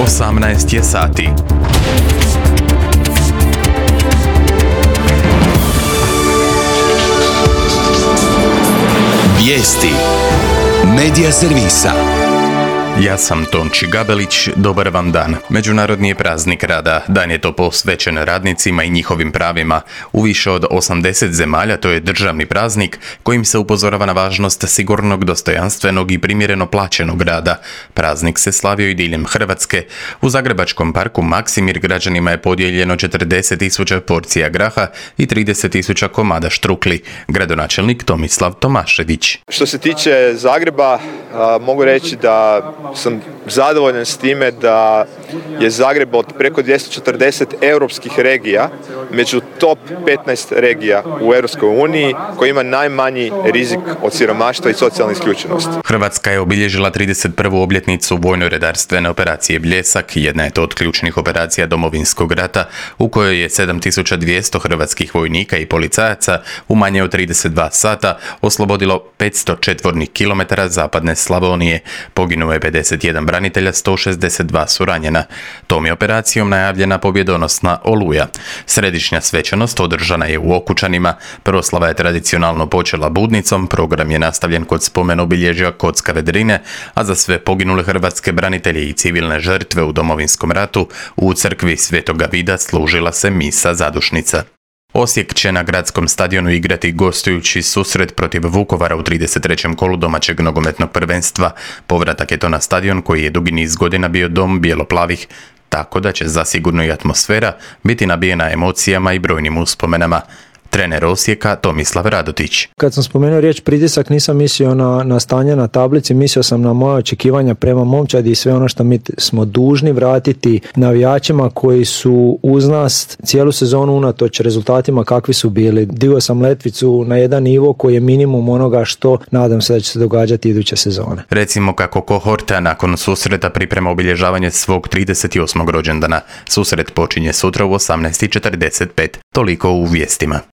18 je sati. Vijesti Medija servisa. Ja sam Tonči Gabelić, dobar vam dan. Međunarodni je praznik rada. Dan je to posvećen radnicima i njihovim pravima. U više od 80 zemalja to je državni praznik kojim se upozorava na važnost sigurnog, dostojanstvenog i primjereno plaćenog rada. Praznik se slavio i diljem Hrvatske. U zagrebačkom parku Maksimir građanima je podijeljeno 40.000 porcija graha i 30.000 komada štrukli. Gradonačelnik Tomislav Tomašević. Što se tiče Zagreba, mogu reći da sam zadovoljan s time da je Zagreb od preko 240 europskih regija među top 15 regija u Europskoj uniji koji ima najmanji rizik od siromaštva i socijalne isključenosti. Hrvatska je obilježila 31. obljetnicu vojno-redarstvene operacije Bljesak, jedna je to od ključnih operacija Domovinskog rata u kojoj je 7200 hrvatskih vojnika i policajaca u manje od 32 sata oslobodilo 500 četvornih kilometara zapadne Slavonije. Poginuo je 51 branitelja, 162 su ranjena. Tom je operacijom najavljena pobjedonosna Oluja. Središnja svečanost održana je u Okučanima. Proslava je tradicionalno počela budnicom, program je nastavljen kod spomen obilježja Kockave Drine, a za sve poginule hrvatske branitelje i civilne žrtve u Domovinskom ratu u crkvi Svetoga Vida služila se misa zadušnica. Osijek će na gradskom stadionu igrati gostujući susret protiv Vukovara u 33. kolu domaćeg nogometnog prvenstva. Povratak je to na stadion koji je dugi niz godina bio dom bijelo-plavih, tako da će zasigurno i atmosfera biti nabijena emocijama i brojnim uspomenama. Trener Osijeka Tomislav Radotić. Kad sam spomenuo riječ pritisak, nisam mislio na stanje na tablici, mislio sam na moje očekivanja prema momčadi i sve ono što mi smo dužni vratiti navijačima koji su uz nas cijelu sezonu unatoč rezultatima kakvi su bili. Digao sam letvicu na jedan nivo koji je minimum onoga što nadam se da će se događati iduće sezone. Recimo kako kohorta nakon susreta priprema obilježavanje svog 38. rođendana. Susret počinje sutra u 18:45. Toliko u vijestima.